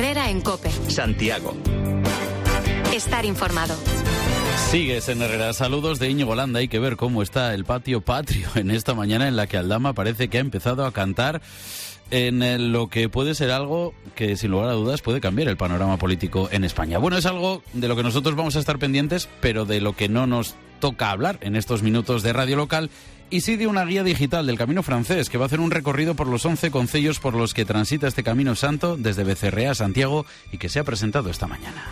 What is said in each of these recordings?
Herrera en COPE. Santiago. Estar informado. Sigues en Herrera. Saludos de Íñigo Landa. Hay que ver cómo está el patio patrio en esta mañana en la que Aldama parece que ha empezado a cantar en lo que puede ser algo que, sin lugar a dudas, puede cambiar el panorama político en España. Bueno, es algo de lo que nosotros vamos a estar pendientes, pero de lo que no nos toca hablar en estos minutos de radio local, y sí de una guía digital del Camino Francés, que va a hacer un recorrido por los 11 concellos por los que transita este Camino Santo desde Becerrea a Santiago y que se ha presentado esta mañana.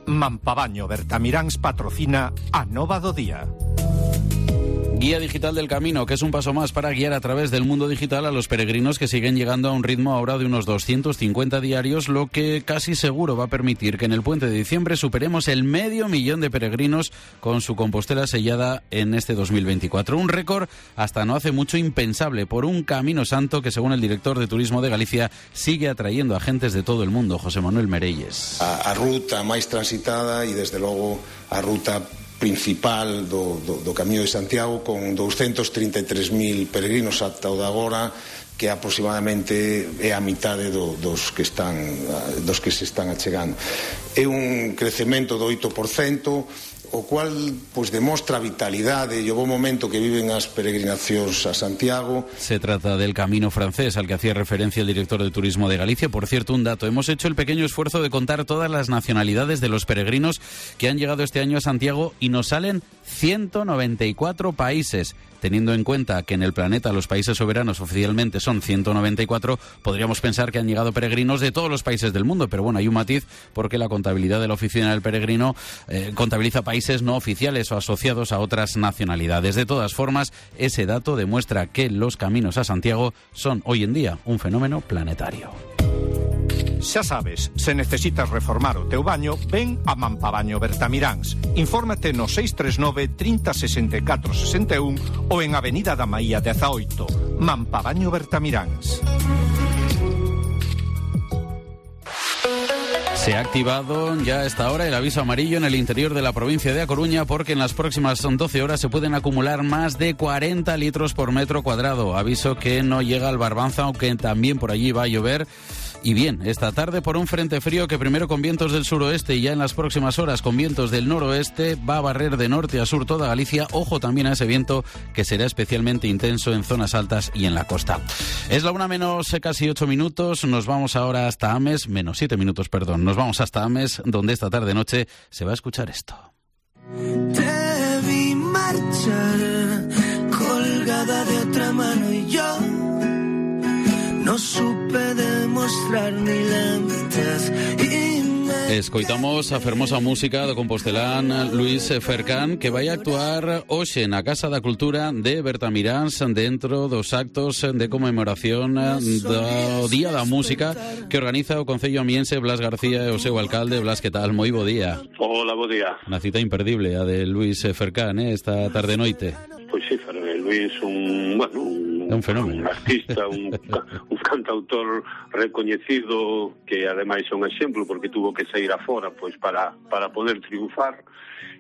Mampabaño Bertamiráns patrocina a Nova do Día. Guía digital del Camino, que es un paso más para guiar a través del mundo digital a los peregrinos que siguen llegando a un ritmo ahora de unos 250 diarios, lo que casi seguro va a permitir que en el puente de diciembre superemos el 500.000 de peregrinos con su Compostela sellada en este 2024. Un récord hasta no hace mucho impensable por un Camino Santo que, según el director de Turismo de Galicia, sigue atrayendo a gentes de todo el mundo. José Manuel Merelles. A ruta máis transitada e, desde logo, a ruta principal do Camiño de Santiago, con 233.000 peregrinos ata o de agora, que aproximadamente é a mitade dos que se están achegando. É un crecemento do 8%, o cual pois demostra a vitalidade e o bo momento que viven as peregrinacións a Santiago. Se trata del Camino Francés al que hacía referencia el director de Turismo de Galicia. Por cierto, un dato: hemos hecho el pequeño esfuerzo de contar todas las nacionalidades de los peregrinos que han llegado este año a Santiago y nos salen 194 países. Teniendo en cuenta que en el planeta los países soberanos oficialmente son 194, podríamos pensar que han llegado peregrinos de todos los países del mundo, pero bueno, hay un matiz, porque la contabilidad de la Oficina del Peregrino contabiliza países no oficiales o asociados a otras nacionalidades. De todas formas, ese dato demuestra que los caminos a Santiago son hoy en día un fenómeno planetario. Xa sabes, se necesitas reformar o teu baño, ven a Mampabaño Bertamiráns. Infórmate no 639 30 64 61 ou en Avenida da Maía 18. Mampabaño Bertamiráns. Se ha activado ya a esta hora el aviso amarillo en el interior de la provincia de A Coruña, porque en las próximas 12 horas se pueden acumular más de 40 litros por metro cuadrado. Aviso que no llega al Barbanza, aunque también por allí va a llover. Y bien, esta tarde por un frente frío que primero con vientos del suroeste y ya en las próximas horas con vientos del noroeste va a barrer de norte a sur toda Galicia. Ojo también a ese viento, que será especialmente intenso en zonas altas y en la costa. Es la 1 menos casi 8 minutos. Nos vamos ahora hasta Ames, menos 7 minutos, perdón. Nos vamos hasta Ames, donde esta tarde-noche se va a escuchar esto. Te vi marchar colgada de otra mano y yo no supe demostrar ni lentes. Escoitamos a fermosa música do compostelán Luis Fercán, que vai actuar hoxe na Casa da Cultura de Bertamiráns dentro dos actos de conmemoración do Día da Música que organiza o Concello amiense Blas García e o seu alcalde. Blas, que tal? Moi bo día. Hola, bo día. Unha cita imperdible a de Luis Fercán, esta tarde-noite. Pois sí, Luis un fenómeno, un artista, un cantautor recoñecido, que ademais é un exemplo porque tuvo que sair afora pois para poder triunfar,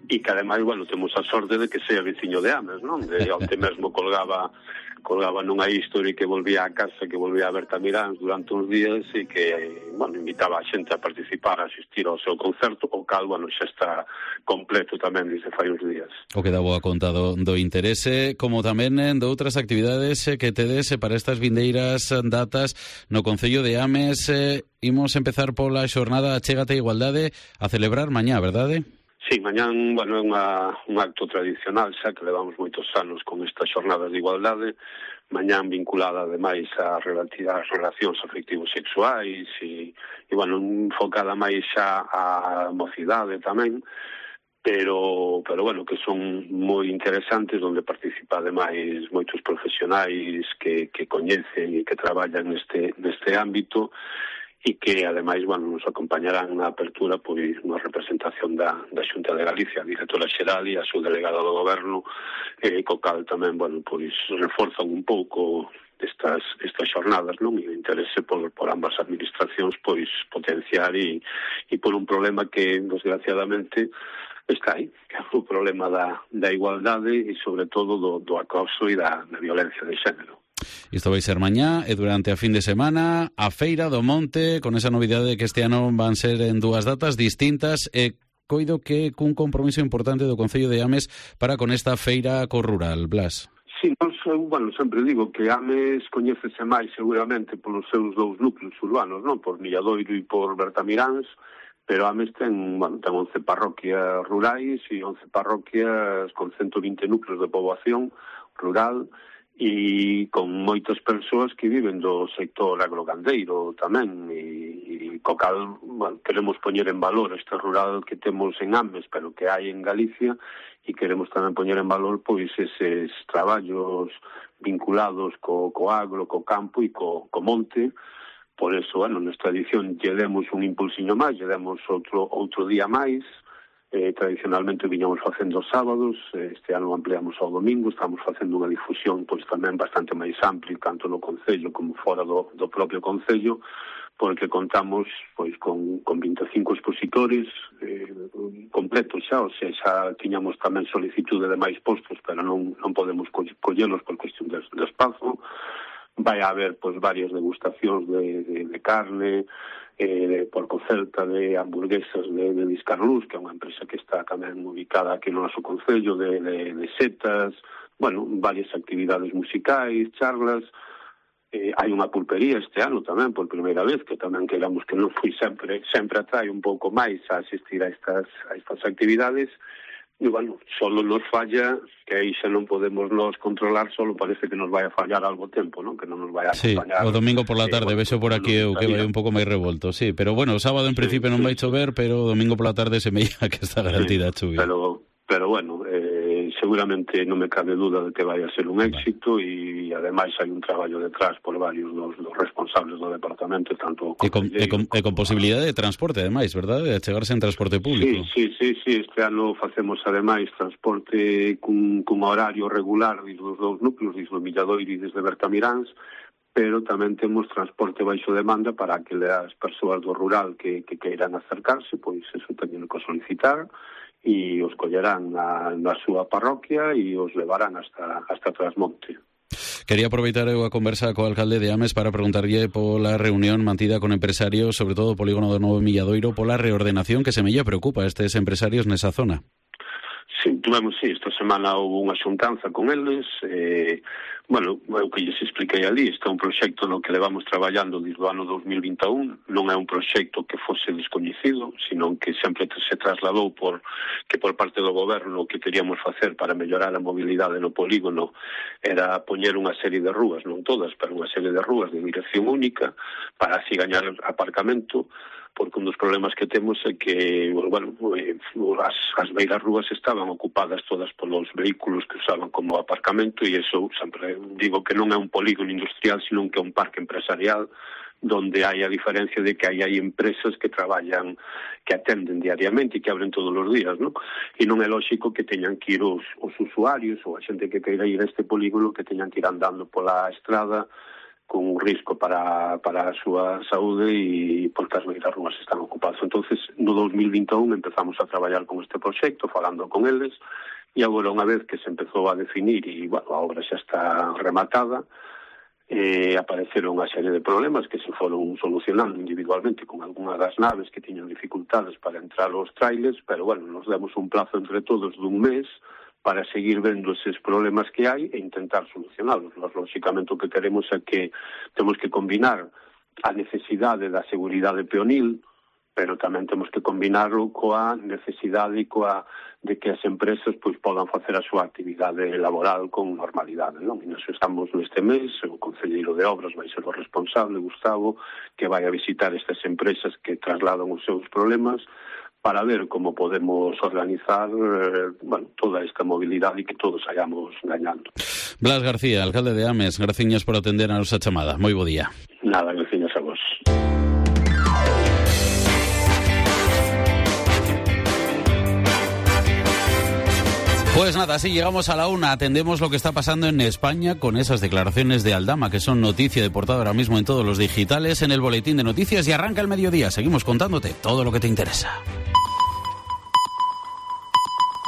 e que ademais, temos a sorte de que sea veciño de Ames, non? De onte mesmo colgaba nunha history que volvía a casa, que volvía a Bertamiráns durante uns días, e que, invitaba a xente a participar, a asistir ao seu concerto, o cal, xa está completo tamén desde fai uns días. O que dá boa conta do interese, como tamén de outras actividades que tedes para estas vindeiras datas no Concello de Ames. Imos empezar pola xornada Achégate a Igualdade, a celebrar mañá, verdade? Sí, mañán, é un acto tradicional, xa que levamos moitos anos con estas xornadas de igualdade, mañán vinculada ademais a relacións afectivos sexuais e enfocada máis xa a mocidade tamén, pero que son moi interesantes, onde participa ademais moitos profesionais que coñecen e que traballan neste ámbito, e que, ademais, nos acompañarán na apertura pois unha representación da Xunta de Galicia, a directora xeral e a subdelegada do Goberno, co cal tamén, pois reforzan un pouco estas xornadas, non? E o interese por ambas administracións pois potenciar e por un problema que, desgraciadamente, está aí, que é o problema da igualdade e, sobre todo, do acoso e da violencia de xénero. Isto vai ser mañá e durante a fin de semana a Feira do Monte, con esa novidade de que este ano van ser en 2 datas distintas e coido que cun compromiso importante do Concello de Ames para con esta feira co rural, Blas. Sí, bueno, sempre digo que Ames coñécese máis seguramente polos seus 2 núcleos urbanos, non? Por Milladoiro e por Bertamiráns, pero Ames ten 11 parroquias rurais e 11 parroquias con 120 núcleos de poboación rural e con moitas persoas que viven do sector agrogandeiro tamén e co cal, bueno, queremos poñer en valor este rural que temos en Ames, pero que hai en Galicia, e queremos tamén poñer en valor pois eses traballos vinculados co agro, co campo e co monte. Por eso, bueno, nesta edición lle demos un impulsiño máis, lle demos outro día máis. Tradicionalmente viñamos facendo sábados, este ano ampliamos ao domingo, estamos facendo unha difusión pois tamén bastante máis amplia, tanto no Concello como fora do propio Concello, porque contamos pois con 25 expositores completos xa, o sea, xa tiñamos tamén solicitude de máis postos, pero non podemos collelos por cuestión de espazo. Vai haber pois varias degustacións de carne, por Celta, de hamburguesas de Discarlús, que é unha empresa que está tamén ubicada aquí no noso Concello, de setas, bueno, varias actividades musicais, charlas. Hai unha pulpería este ano tamén, por primeira vez, que tamén queramos que non foi sempre atrae un pouco máis a asistir a estas actividades. E, bueno, solo nos falla, que aí xa non podemos nos controlar, solo parece que nos vai a fallar algo tempo, non? Que non nos vai a acompañar. Sí, o domingo por la tarde, vexo por aquí eu que vai un pouco máis revolto, sí. Pero, bueno, o sábado en principio non vai chover, pero o domingo por la tarde se me ia que está garantida a chuvia. Pero bueno, seguramente non me cabe duda de que vai a ser un éxito e ademais hai un traballo detrás por varios dos responsables do departamento, tanto e con posibilidade de transporte ademais, verdad? De chegarse en transporte público. Sí, este ano facemos ademais transporte cun horario regular desde os 2 núcleos, desde o Milladoiro e desde Bertamiráns, pero tamén temos transporte baixo demanda para que as persoas do rural que queiran acercarse, pois eso teñen que solicitar e os collerán na súa parroquia e os levarán hasta Trasmonte. Quería aproveitar eu a conversa co alcalde de Ames para preguntarlle pola reunión mantida con empresarios, sobre todo o polígono do Novo Milladoiro, pola reordenación que semella preocupa a estes empresarios nesa zona. Sí, esta semana houve unha xuntanza con eles, bueno, o que lles expliquei ali, este é un proxecto no que levamos traballando desde o ano 2021, non é un proxecto que fose descoñecido, sino que sempre se trasladou por parte do goberno o que queríamos facer para mellorar a mobilidade no polígono era poñer unha serie de rúas, non todas, pero unha serie de rúas de dirección única para así gañar aparcamento, porque un dos problemas que temos é que, bueno, as beiras rúas estaban ocupadas todas polos vehículos que usaban como aparcamento e iso, sempre digo que non é un polígono industrial, sino que é un parque empresarial donde hai a diferencia de que hai empresas que traballan, que atenden diariamente e que abren todos os días, non? E non é lógico que teñan que ir os usuarios ou a xente que queira ir a este polígono que teñan que ir andando pola estrada con un risco para a súa saúde e porque as beiras rúas están ocupadas. Entonces, no 2021 empezamos a traballar con este proxecto, falando con eles, e agora unha vez que se empezou a definir e, bueno, a obra xa está rematada, apareceron unha serie de problemas que se foron solucionando individualmente con algunha das naves que tiñan dificultades para entrar aos trailers, pero, bueno, nos demos un plazo entre todos dun mes para seguir vendo eses problemas que hai e intentar solucionalos. Nós, lóxicamente, o que queremos é que temos que combinar a necesidade da seguridade peonil, pero tamén temos que combinarlo coa necesidade e de que as empresas pois podan facer a súa actividade laboral con normalidade, non? E nós estamos neste mes, o concelleiro de obras vai ser o responsable, Gustavo, que vai a visitar estas empresas que trasladan os seus problemas para ver como podemos organizar toda esta mobilidade e que todos hayamos gañando. Blas García, alcalde de Ames, graciñas por atender a nosa chamada. Moi bo día. Nada, graciñas a vos. Pues nada, así llegamos a la una, atendemos lo que está pasando en España con esas declaraciones de Aldama, que son noticia de portada ahora mismo en todos los digitales, en el boletín de noticias, y arranca el mediodía. Seguimos contándote todo lo que te interesa.